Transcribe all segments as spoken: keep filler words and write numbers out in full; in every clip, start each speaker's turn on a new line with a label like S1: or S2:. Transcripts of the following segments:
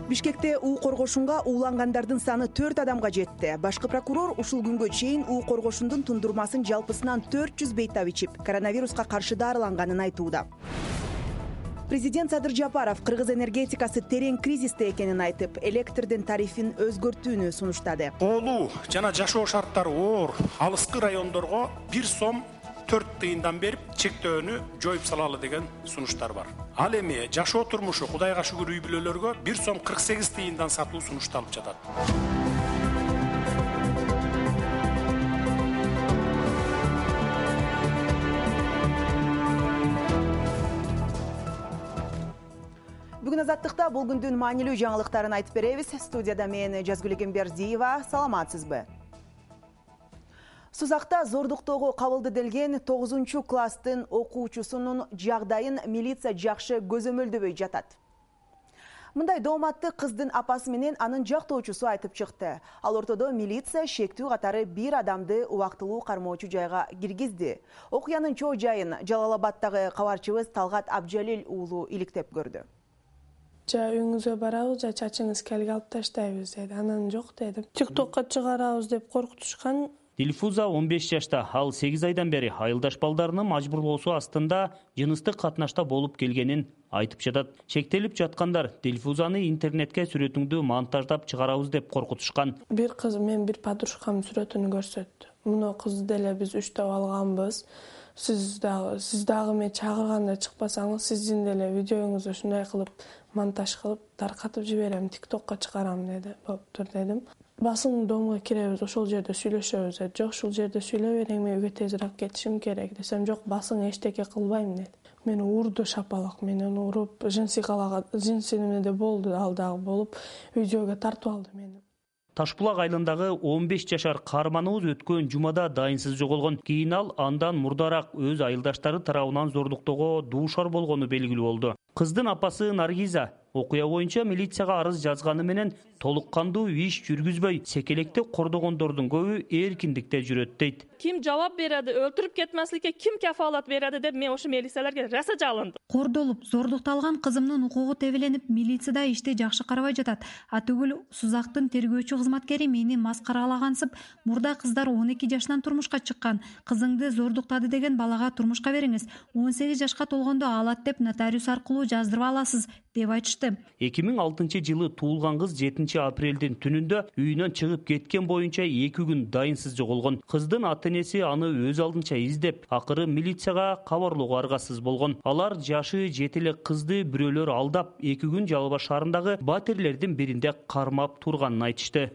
S1: Бишкекте уу коргошунга уулангандардын саны төрт адамга жетти. Башкы прокурор ушул күнгө чейин уу коргошундун тундурмасын жалпысынан төрт жүз бейтап ичип, коронавируска каршы дарыланганын айтууда. Президент Садыр Жапаров кыргыз энергетикасы терең кризисте экенин айтып, электрдин тарифин өзгөртүүнү сунуштады.
S2: Оолуу жана жашоо шарттары оор алыскы райондорго бир сом төрт тыйындан берип чектөөнү жоюп салалы деген сунуштар бар. Ал эми жашоо турмушу Кудайга шүгүр үй бүлөлөргө бир сом кырк сегиз тыйындан сатуу сунушталып жатат.
S1: Бүгүн Азаттыкта бул күндүн маанилүү жаңылыктарын айтып беребиз. Студияда мен Жазгүл Эгембердиева. Саламатсызбы? Сузакта зордуктоого кабылды делген тогузунчу класстын окуучусунун жагдайын милиция жакшы көзөмөлдөбөй жатат. Мындай дооматты кыздын апасы менен анын жактоочусу айтып чыкты. Ал ортодо милиция шектүү катары бир адамды убактылуу кармоочу жайга киргизди. Окуянын чоо жайын Жалал-Абаддагы кабарчыбыз Талгат Абжалил уулу иликтеп көрдү.
S3: Жа үйүңүзгө барабыз, жа чачыңыз келип алып таштайбыз деди. Анан жок дедим. ТикТокко чыгарабыз деп коркутушкан.
S4: Дилфуза он беш жашта, ал сегиз айдан бери айылдаш балдарынын мажбурлоосу астында жыныстык катнашта болуп келгенин айтып жатат. Чектелип жаткандар Дилфузаны интернетке сүрөтүңдү монтаждап чыгарабыз деп коркутушкан.
S3: Бир кыз мен бир подружкамдын сүрөтүн көрсөттү. Муну кызды деле биз үчтөп алганбыз. Сиз дагы, сиз дагы мен чагырганда чыкпасаңыз, сиздин деле видеоңузду ушундай кылып монтаж кылып таркатып жиберем, ТикТокко чыгарам деди. Болуптур дедим. Басың доомго киребиз, ошол жерде сүйлөшөбүз деди. Жок, ушул жерде сүйлөп бериң, мен үйгө тезирээк кетишим керек десем, жок, басың эчтеке кылбайм деди. Мени урду шапалак, менен уруп, жинси калага, жинси немеде болду, ал дагы болуп, видеого тартып алды мени.
S4: Ташбулак айылындагы он беш жашар каарманыбыз өткөн жумада дайынсыз жоголгон. Кийин ал андан мурдараак өз айылдаштары тарабынан зордуктоого дуушар болгону белгилүү болду. Кыздын апасы Наргиза окуя боюнча милицияга арыз жазганы менен толук кандуу иш жүргүзбөй, секелекте кордогондордун көбү эркиндикте жүрөт дейт.
S5: Ким жооп береди, өлтүрүп кетмесликке ким кафалат береди деп мен ошо милицияларга раса жалындым.
S6: Кордолуп, зордукталган кызымдын укугу тебеленип, милицияда ишти жакшы карабай жатат. Атүгүл Сузактын тергөөчү кызматкери мени маскаралагансып, мурда кыздар он эки жашынан турмушка чыккан. Кызыңды зордуктады деген балага турмушка бериңиз. он сегиз жашка толгондо алат деп нотариус аркылуу жаздырып аласыз деп айтышты.
S4: эки миң алтынчы жылы туулган кыз жетинчи апрелдин түнүндө үйүнөн чыгып кеткен боюнча эки күн дайынсыз жоголгон. Кыздын ата-энеси аны өз алдынча издеп, акыры милицияга кабарлоого аргасыз болгон. Алар жашы жети эле кызды бирөөлөр алдап, эки күн Жалал Абад шаарындагы батирлердин биринде кармап турганын айтышты.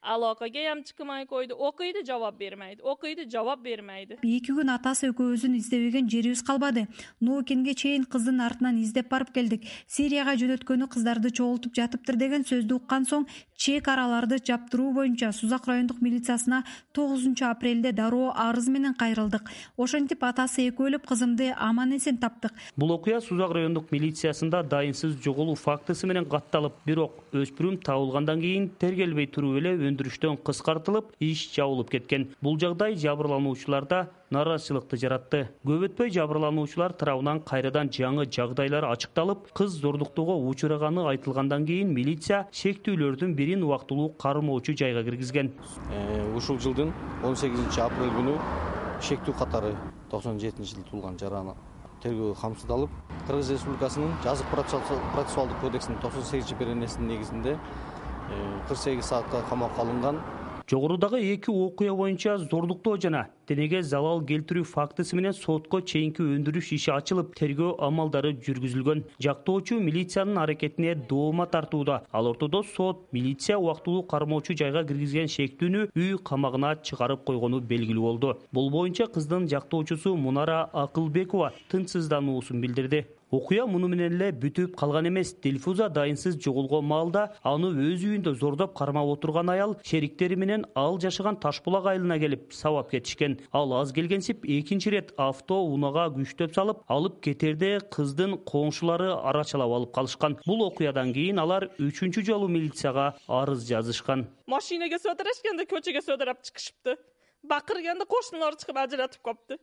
S5: Алакага ям чыкмай койду, окуйду, жооп бермейди, окуйду, жооп бермейди.
S6: эки күн атасы экөөбүздүн издебеген жерибиз калбады. Ноокенге чейин кыздын артынан издеп барып келдик. Сирияга жөнөткөнү кыздарды чогултуп жатыптыр деген сөздү уккан соң чек араларды жаптыруу боюнча Сузак райондук милициясына тогузунчу апрелде дароо арыз менен кайрылдык. Ошентип атасы экөөлөп кызымды аман-эсен таптык.
S4: Бул окуя Сузак райондук милициясында дайынсыз жоголуу фактысы менен катталып, бирок өспүрүм табылгандан кийин тергелбей туруп эле өндүрүштөн кыскартылып, иш жабылып кеткен. Бул жагдай жабырлануучуларда нараазычылыкты жаратты. Көп өтпөй жабырлануучулар тарабынан кайрадан жаңы жагдайлар ачыкталып, кыз зордуктоого учураганы айтылгандан кийин милиция шектүүлөрдүн бирин убактылуу кармоочу жайга киргизген.
S7: Ушул жылдын он сегизинчи апрель күнү шектүү катары токсон жетинчи жылы туулган жараны тергөө камсыздалып, Кыргыз Республикасынын жазык процессуалдык кодексинин токсон сегизинчи беренесинин негизинде кырк сегиз саатка камакка алынган.
S4: Жогорудагы эки окуя боюнча зордуктоо жана денеге залал келтирүү фактысы менен сотко чейинки өндүрүш иши ачылып, тергөө амалдары жүргүзүлгөн. Жактоочу милициянын аракетине доoma тартууда. Ал ортодо сот милиция убактылуу кармоочу жайга киргизген шектүүнү үй камагына чыгарып койгону белгилүү болду. Бул боюнча кыздын жактоочусу Мунара Акылбекова тынчсыздануусун билдирди. Окуя муну менен эле бүтүп калган эмес. Дилфуза дайынсыз жоголгон маалда аны өз үйүндө зордоп кармап отурган аял шериктери менен ал жашаган Ташбулак айылына келип сабап кетишкен. Ал аз келгенсип экинчи ирет авто унаага күчтөп салып, алып кетерде кыздын коңшулары арачалап алып калышкан. Бул окуядан кийин алар үчүнчү жолу милицияга арыз жазышкан.
S5: Машинеге сөдөрөшкөндө көчөгө сөдөрөп чыгышыпты. Бакырганда кошуналар чыгып ажыратып копту.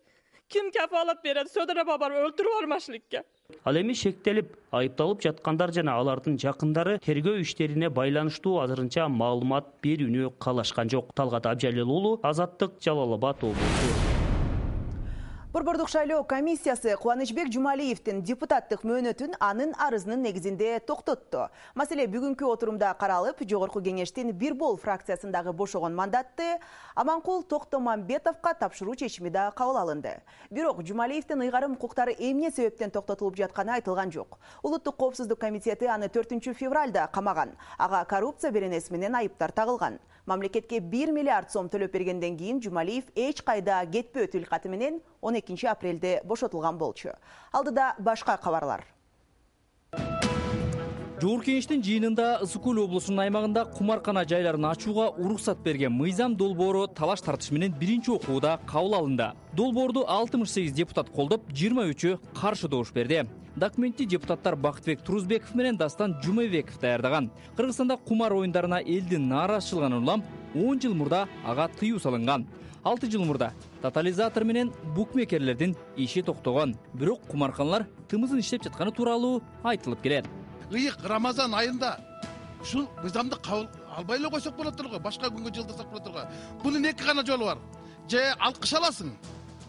S5: Ким кафалат берет, сөдөрөп барып өлтүрүп бармашлыкка.
S4: Ал эми шектелип, айыпталып жаткандар жана алардын жакындары тергөө иштерине байланыштуу азырынча маалымат берүүнү каалашкан жок. Талгат Абжалил уулу, Азаттык, Жалал Абад облусу.
S1: Борбордук шайлоо комиссиясы Кубанычбек Жумалиевдин депутаттык мөөнөтүн анын арызынын негизинде токтотту. Маселе бүгүнкү отурумда каралып, жогорку кеңештин бир бол фракциясындагы бошогон мандатты Аманкул Токтомамбетовго тапшыруу чечими да кабыл алынды. Бирок Жумалиевдин ыйгарым укуктары эмне себептен токтотулуп жатканы айтылган жок. Улуттук коопсуздук комитети аны төртүнчү февралда камаган. Ага коррупция беренеси менен айыптар тагылган. Мамлекетке бир миллиард сом төлөп бергенден кийин Жумалиев эч кайда кетпөө тилкаты менен он экинчи апрелде бошотулган болчу. Алдыда башка кабарлар.
S8: Жогорку кеңештин жыйынында Ысык Көл облусунун аймагында кумаркана жайларын ачууга уруксат берген мыйзам долбоору талаш тартыш менен биринчи окууда кабыл алынды. Долбоорду алтымыш сегиз депутат колдоп, жыйырма үчү каршы добуш берди. Документти депутаттар Бактыбек Турузбеков менен Дастан Жумабеков даярдаган. Кыргызстанда кумар оюндарына элдин нааразычылыгынан улам он жыл мурда ага тыюу салынган. алты жыл мурда тотализатор менен букмекерлердин иши токтогон. Бирок кумарканалар тымызын иштеп жатканы тууралуу айтылып келет.
S9: Ыйык Рамазан айында ушул мыйзамды кабыл албай эле койсок болот турго, башка күнгө жылдырсак болот турго. Бунун эки гана жолу бар. Же алкыш аласың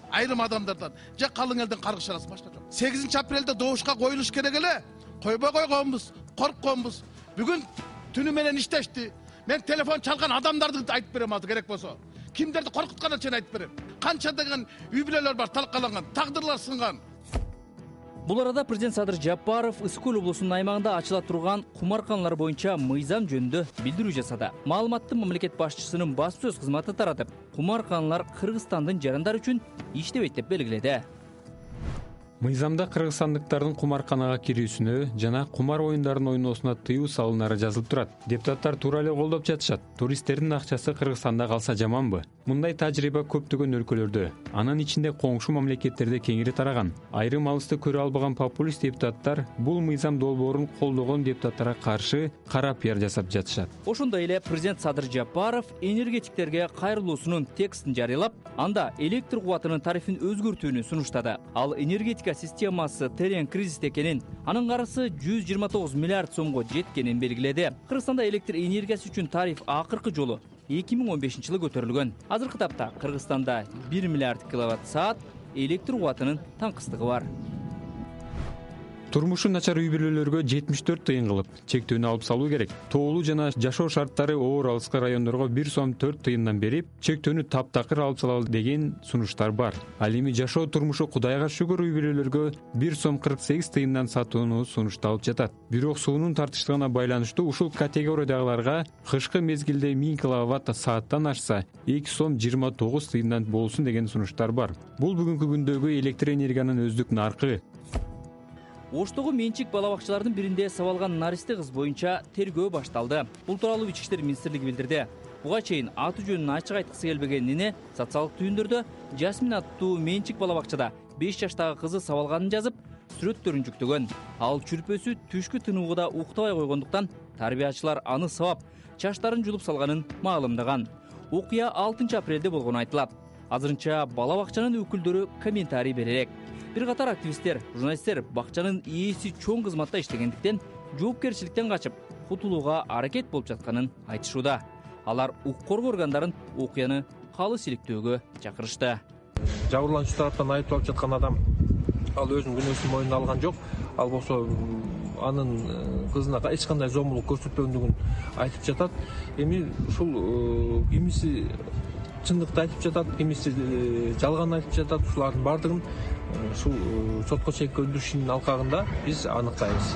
S9: айрым адамдардан, же калың элден каргыш аласың, башка жок. сегизинчи апрелде добушка коюлуш керек эле. Койбой койгонбуз, коркконбуз. Бүгүн түнү менен иштешти. Мен телефон чалган адамдарды айтып берем азыр керек болсо. Кимдерди коркутканын чейин айтып берем. Канча деген үй бүлөлөр бар талкаланган, тагдырлар сынган.
S8: Бул арада президент Садыр Жапаров Ысык Көл облусунун аймагында ачыла турган кумарканалар боюнча мыйзам жөнүндө билдирүү жасады. Маалыматты мамлекет башчысынын басып сөз кызматы таратып, кумарканалар Кыргызстандын жарандар үчүн иштебейт деп белгиледи.
S10: Мыйзамда кыргызстандыктардын кумарканага кирүүсүнө жана кумар оюндарын ойноосуна тыюу салынары жазылып турат. Депутаттар туура эле колдоп жатышат. Туристтердин акчасы Кыргызстанда калса жаманбы? Мындай тажрыйба көптөгөн өлкөлөрдө, анын ичинде коңшу мамлекеттерде кеңири тараган. Айрым алысты көрө албаган популист депутаттар бул мыйзам долбоорун колдогон депутаттарга каршы кара пиар жасап жатышат.
S8: Ошондой эле президент Садыр Жапаров энергетиктерге кайрылуусунун текстин жарыялап, анда электр кубатынын тарифин өзгөртүүнү сунуштады. Ал энергетика системасы терең кризисте экенин, анын карызы жүз жыйырма тогуз миллиард сомго жеткенин белгиледи. Кыргызстанда электр энергиясы үчүн тариф акыркы жолу эки миң он бешинчи жылы көтөрүлгөн. Азыркы тапта Кыргызстанда бир миллиард киловатт саат электр кубатынын таңкыстыгы бар.
S10: Турмушу начар үй бүлөлөргө жетимиш төрт тыйын кылып чектөөнү алып салуу керек. Тоолуу жана жашоо шарттары оор алыскы райондорго бир сом төрт тыйындан берип, чектөөнү таптакыр алып салалы деген сунуштар бар. Ал эми жашоо турмушу Кудайга шүгүр үй бүлөлөргө бир сом кырк сегиз тыйындан сатууну сунушталып жатат. Бирок суунун тартыштыгына байланыштуу ушул категориядагыларга кышкы мезгилде миң киловатт сааттан ашса эки сом жыйырма тогуз тыйындан болсун деген сунуштар бар. Бул бүгүнкү күндөгү электр энергиянын өздүк наркы.
S8: Оштогу менчик бала бакчалардын биринде сабалган наристе кыз боюнча тергөө башталды. Бул тууралуу Ички иштер министрлиги билдирди. Буга чейин аты жөнүн ачык айткысы келбеген эне социалдык түйүндөрдө Жасмин аттуу менчик бала бакчада беш жаштагы кызы сабалганын жазып, сүрөттөрүн жүктөгөн. Ал чүрпөсү түшкү тыныгууда уктабай койгондуктан тарбиячылар аны сабап, чачтарын жулуп салганын маалымдаган. Окуя алтынчы апрелде болгону айтылат. Азырынча бала бакчанын өкүлдөрү комментарий беререк. Бир катар активисттер, журналисттер бакчанын ээси чоң кызматта иштегендиктен жоопкерчиликтен качып, кутулууга аракет болуп жатканын айтышууда. Алар укук коргоо органдарын окуяны калыс иликтөөгө чакырышты.
S11: Жабырлануучу тараптан айыпталып жаткан адам ал өзүнүн күнөөсүн мойнуна алган жок. Ал болсо анын кызына эч кандай зомбулук көрсөтпөгөндүгүн айтып жатат. Эми ушул кимиси чындыкты айтып жатат, кимиси жалган айтып жатат. Ушулардын баардыгын ушул сотко чейинки өндүрүштүн алкагында биз аныктайбыз.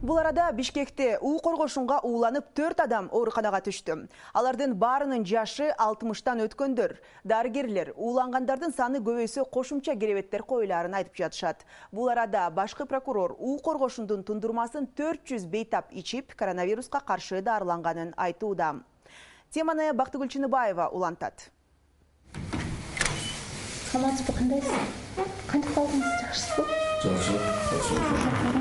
S1: Бул арада Бишкекте уу коргошунга ууланып төрт адам ооруканага түштү. Алардын баарынын жашы алтымыштан өткөндөр. Дарыгерлер уулангандардын саны көбөйсө кошумча керебеттер коюларын айтып жатышат. Бул арада башкы прокурор уу коргошундун тундурмасын төрт жүз бейтап ичип, коронавируска каршы дарыланганын айтууда. Теманы Бактыгүл Чыныбаева улантат.
S12: Саламатсызбы, кандайсыз? Кантип калдыңыз, жакшысызбы? Жакшы,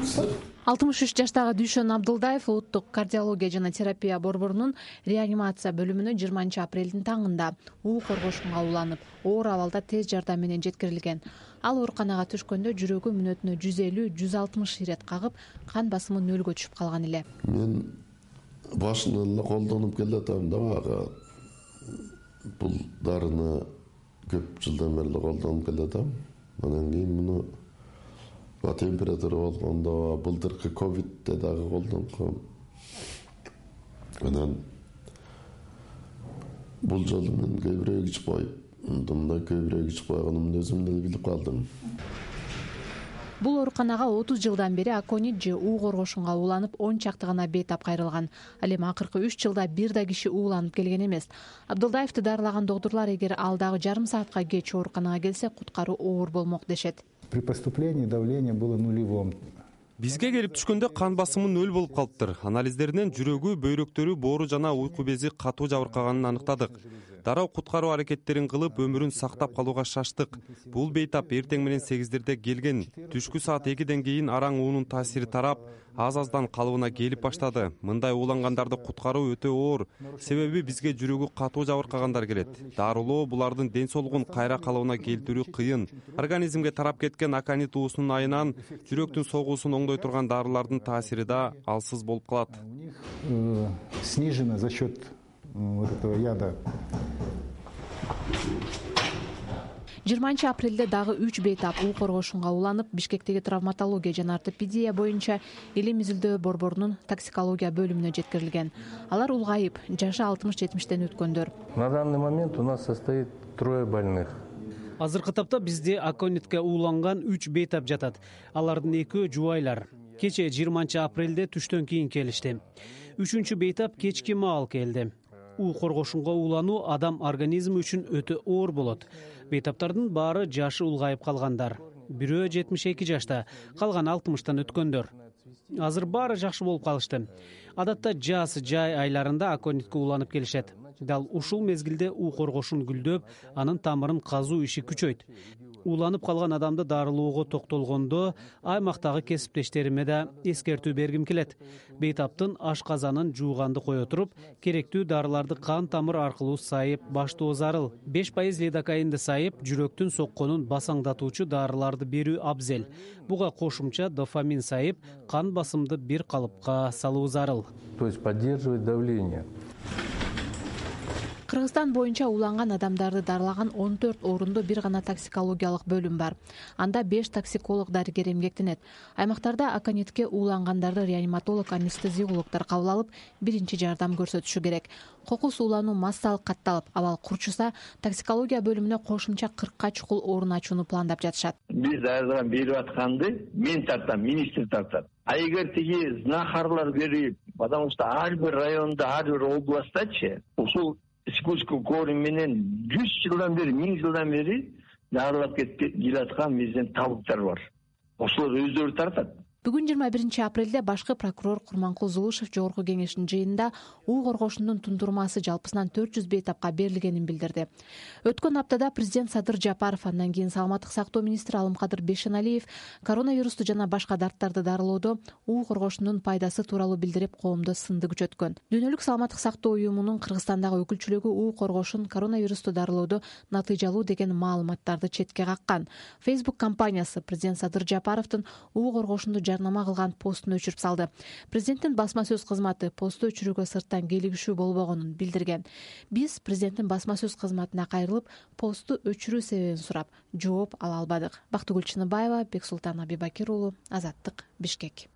S12: жакшы. алтымыш үч жаштагы Дүйшөн Абдылдаев улуттук кардиология жана терапия борборунун реанимация бөлүмүнө жыйырманчы апрелдин таңында уу коргошунга уланып, оор абалда тез жардам менен жеткирилген. Ал ооруканага түшкөндө жүрөгү мүнөтүнө жүз элүү жүз алтымыш ирет кагып, кан басымы нөлгө түшүп калган эле.
S13: Мен башынан эле колдонуп келатам да, ага бул дарыны көп жылдан бери колдонуп келатам. Анан кийин муну температура болгондо былтыркы ковидте дагы колдонком. Анан бул жолу мен көбүрөөк ич коюп, мындай көбүрөөк ич койгонумду өзүм деле билип калдым.
S12: Бул ооруканага отуз жылдан бери аконит же уу коргошунга ууланып он чакты гана бейтап кайрылган. Ал эми акыркы үч жылда бир да киши ууланып келген эмес. Абдылдаевди дарылаган доктурлар эгер ал дагы жарым саатка кеч ооруканага келсе, куткаруу оор болмок дешет.
S14: При поступлении давление было нулевым.
S15: Бизге келип түшкөндө кан басымы нөл болуп калыптыр. Анализдеринен жүрөгү, бөйрөктөрү, боору жана уйку бези катуу жабыркаганын аныктадык. Дароо куткаруу аракеттерин кылып, өмүрүн сактап калууга шаштык. Бул бейтап эртең менен сегиздерде келген. Түшкү саат экиден кийин араң уунун таасири тарап, аз-аздан калыбына келип баштады. Мындай уулангандарды куткаруу өтө оор. Себеби бизге жүрөгү катуу жабыркагандар келет. Дарылоо булардын ден соолугун кайра калыбына келтирүү кыйын. Организмге тарап кеткен аконит уусунун айынан жүрөктүн согуусун оңдой турган дарылардын таасири да алсыз болуп калат.
S14: Снижено за счет вот этого яда.
S12: жыйырманчы апрелде дагы үч бейтап уу коргошунга уланып, Бишкектеги травматология жана ортопедия боюнча Илим изилдөө борборунун токсикология бөлүмүнө жеткирилген. Алар улгайып, жашы алтымыш жетимиштен өткөндөр.
S16: На данный момент у нас состоит трое больных.
S17: Азыркы тапта бизде аконитке ууланган үч бейтап жатат. Алардын экөө жубайлар. Кече жыйырманчы апрелде түштөн кийин келишти. Үчүнчү бейтап кечки маал келди. уу коргошунга уулануу адам организми үчүн өтө оор болот. Бейтаптардын баары жашы улгайып калгандар. Бирөө жетимиш эки жашта, калган алтымыштан өткөндөр. Азыр баары жакшы болуп калышты. Адатта жаз, жай айларында аконитке ууланып келишет. Дал ушул мезгилде уу коргошун гүлдөп, анын тамырын казуу иши күчөйт. Ууланып калган адамды дарылоого токтолгондо аймактагы кесиптештериме да эскертүү бергим келет. Бейтаптын ашказанын жууганды кое туруп, керектүү дарыларды кан тамыр аркылуу сайып баштоо зарыл. беш пайыз лидокаинди сайып, жүрөктүн сокконун басаңдатуучу дарыларды берүү абзел. Буга кошумча дофамин сайып, кан басымды бир калыпка салуу зарыл.
S16: То есть поддерживать давление.
S12: Кыргызстан боюнча ууланган адамдарды дарылаган он төрт орунду бир гана токсикологиялык бөлүм бар. Анда беш токсиколог дарыгер эмгектенет. Аймактарда аконитке уулангандарды реаниматолог, анестезиологдор кабыл алып, биринчи жардам көрсөтүшү керек. Кокус уулануу массалык катталып, абал курчуса, токсикология бөлүмүнө кошумча кыркка чукул орун ачууну пландап жатышат.
S18: Биз айрдан берип атканды мен тартам, министр тартат. А эгер тиги знахарлар берип, потому что ар бир районда, ар бир областачы ушул спуску корм менен жүз жылдан бери, миң жылдан бери дарылап келаткан биздин табыттар бар. Ошолор өздөрү тартат.
S12: Бүгүн жыйырма биринчи апрелде башкы прокурор Курманкул Зулушев жогорку кеңештин жыйынында уу коргошундун тундурмасы жалпысынан төрт жүз бейтапка берилгенин билдирди. Өткөн аптада президент Садыр Жапаров, андан кийин саламаттык сактоо министри Алымкадыр Бешеналиев коронавирусту жана башка дарттарды дарылоодо уу коргошундун пайдасы тууралуу билдирип, коомдо сынды күчөткөн. Дүйнөлүк саламаттык сактоо уюмунун Кыргызстандагы өкүлчүлүгү уу коргошун коронавирусту дарылоодо натыйжалуу деген маалыматтарды четке каккан. Facebook компаниясы президент Садыр Жапаровдун уу коргошунду жарнама кылган постун өчүрүп салды. Президенттин басма сөз кызматы посту өчүрүүгө сырттан келигишүү болбогонун билдирген. Биз президенттин басма сөз кызматына кайрылып, посту өчүрүү себебин сурап, жооп ала албадык. Бактыгүл Чыныбаева, Бексултан Абибакир уулу, Азаттык, Бишкек.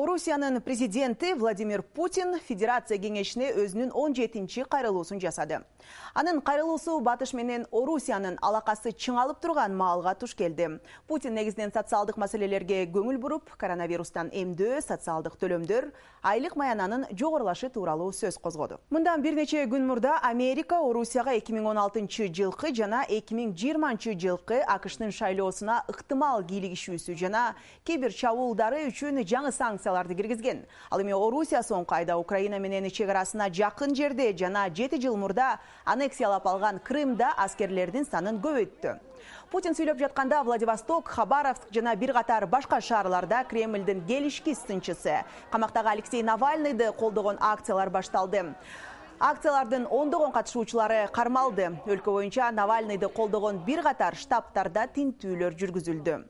S1: Орусиянын президенти Владимир Путин Федерация кеңешине өзүнүн он жетинчи кайрылуусун жасады. Анын кайрылуусу Батыш менен Орусиянын алакасы чыңалып турган маалга туш келди. Путин негизинен социалдык маселелерге көңүл буруп, коронавирустан эмдөө, социалдык төлөмдөр, айлык маянанын жогорулашы тууралуу сөз козгоду. Мындан бир нече күн мурда Америка Орусияга эки миң он алтынчы жылкы жана эки миң жыйырманчы жылкы АКШнын шайлоосуна ыктымал кийлигишүүсү жана кибер чабуулдары үчүн жаңы санкция санкцияларды киргизген. Ал эми Орусия соңку айда Украина менен чек арасына жакын жерде жана жети жыл мурда аннексиялап алган Крымда аскерлердин санын көбөйттү. Путин сүйлөп жатканда Владивосток, Хабаровск жана бир катар башка шаарларда Кремлдин келишкис сынчысы, камактагы Алексей Навальныйды колдогон акциялар башталды. Акциялардын ондогон катышуучулары кармалды. Өлкө боюнча Навальныйды колдогон бир катар штабтарда тинтүүлөр жүргүзүлдү.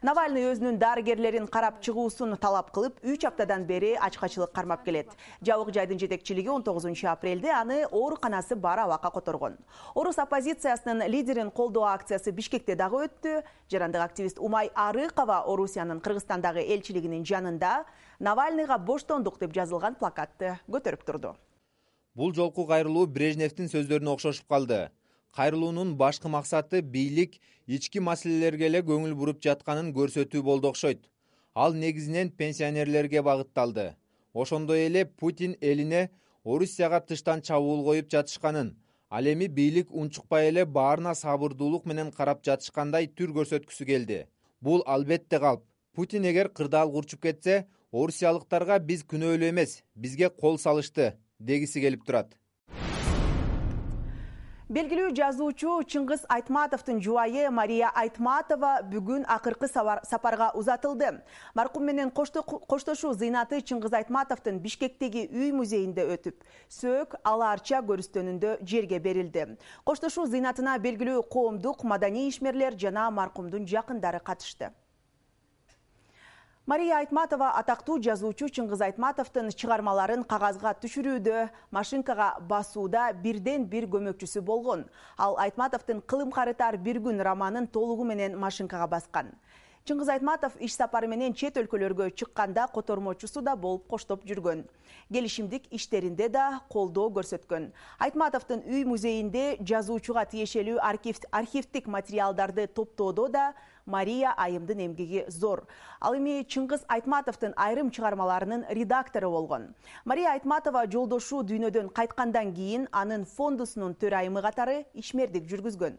S1: Навальный өзүнүн дарыгерлерин карап чыгуусун талап кылып, үч аптадан бери ачкачылык кармап келет. Жабык жайдын жетекчилиги он тогузунчу апрелде аны ооруканасы бар абакка которгон. Орус оппозициясынын лидерин колдоо акциясы Бишкекте дагы өттү. Жарандык активист Умай Арыкова Орусиянын Кыргызстандагы элчилигинин жанында Навальныйга боштондук деп жазылган плакатты көтөрүп турду.
S19: Бул жолку кайрылуу Брежневдин сөздөрүнө окшошуп калды. Кайрылуунун башкы максаты бийлик ички маселелерге эле көңүл буруп жатканын көрсөтүү болду окшойт. Ал негизинен пенсионерлерге багытталды. Ошондой эле Путин элине Орусияга тыштан чабуул коюп жатышканын, ал эми бийлик унчукпай эле баарына сабырдуулук менен карап жатышкандай түр көрсөткүсү келди. Бул албетте калп. Путин эгер кырдаал курчуп кетсе, орусиялыктарга биз күнөөлүү эмес, бизге кол салышты дегиси келип турат.
S1: Белгилүү жазуучу Чыңгыз Айтматовдун жубайы Мария Айтматова бүгүн акыркы сапарга узатылды. Маркум менен коштошуу зыйнаты Чыңгыз Айтматовдун Бишкектеги үй музейинде өтүп, сөөк алаарча көрүстөнүндө жерге берилди. Коштошуу зыйнатына белгилүү коомдук, маданий ишмерлер жана маркумдун жакындары катышты. Мария Айтматова атактуу жазуучу Чыңгыз Айтматовдун чыгармаларын кагазга түшүрүүдө, машинкага басууда бирден бир көмөкчүсү болгон. Ал Айтматовдун Кылым карытар бир күн романын толугу менен машинкага баскан. Чыңгыз Айтматов иш сапары менен чет өлкөлөргө чыкканда котормочусу да болуп коштоп жүргөн. Келишимдик иштеринде да колдоо көрсөткөн. Айтматовдун үй музейинде жазуучуга тиешелүү архивдик материалдарды топтоодо да Мария айымдын эмгеги зор. Ал эми Чыңгыз Айтматовдун айрым чыгармаларынын редактору болгон. Мария Айтматова жолдошу дүйнөдөн кайткандан кийин анын фондусунун төрайымы катары ишмердик жүргүзгөн.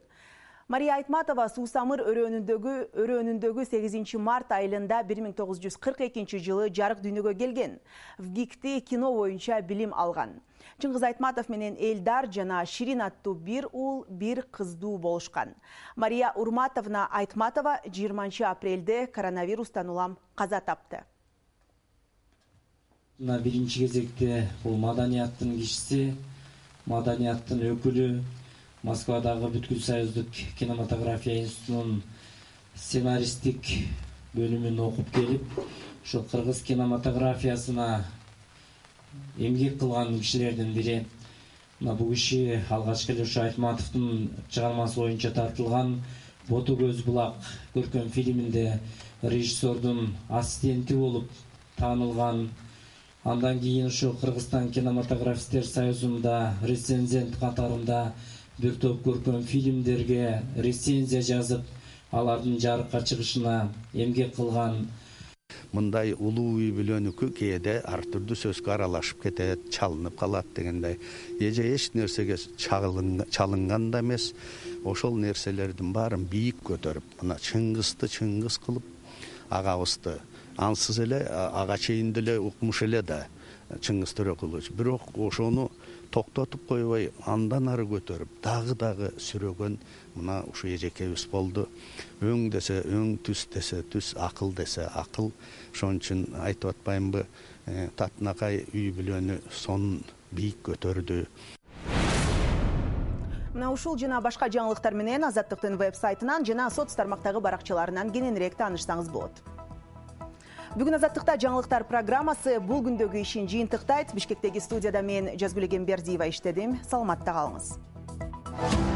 S1: Мария Айтматова Суусамыр өрөөнүндөгү өрөөнүндөгү сегизинчи март айылында бир миң тогуз жүз кырк экинчи жылы жарык дүйнөгө келген. ВГИКти кино боюнча билим алган. Чыңгыз Айтматов менен Элдар жана Ширин аттуу бир уул, бир кыздуу болушкан. Мария Урматовна Айтматова жыйырманчы апрелде коронавирустан улам каза тапты.
S20: Мына биринчи кезекте бул маданияттын кишиси, маданияттын өкүлү, Москвадагы бүткүл союздук кинематография институтунун сценаристтик бөлүмүн окуп келип, ошол кыргыз кинематографиясына эмгек кылган кишилердин бири. Мына бул киши алгачкы эле ушу Айтматовдун чыгармасы боюнча тартылган Боту көз булак көркөм фильминде режиссердун ассистенти болуп таанылган. Андан кийин ушу Кыргызстан кинематографисттер союзунда рецензент катарында бир топ көркөм фильмдерге рецензия жазып, алардын жарыкка чыгышына эмгек кылган.
S21: Мындай улуу үй бүлөнүкү кээде ар түрдүү сөзгө аралашып кетет, чалынып калат дегендей. Эже эч нерсеге чалынган да эмес. Ошол нерселердин баарын бийик көтөрүп, мына Чыңгызды Чыңгыз кылып, агабызды ансыз эле ага чейин деле укмуш эле да Чыңгыз Төрөкулович. Бирок ошону токтотуп койбой, андан ары көтөрүп, дагы дагы сүрөгөн мына ушу эжекебиз болду. Өң десе өң, түс десе түс, акыл десе акыл. Ошон үчүн айтып атпаймынбы, татынакай үй бүлөнү сонун бийик көтөрдү.
S1: Мына ушул жана башка жаңылыктар менен Азаттыктын веб-сайтынан жана соц тармактагы баракчаларынан кененирээк таанышсаңыз болот. Бүгүн Азаттыкта жаңылыктар программасы бул күндөгү ишин жыйынтыктайт. Бишкектеги студияда мен Жазгүл Эгембердиева иштедим. Саламатта калыңыз.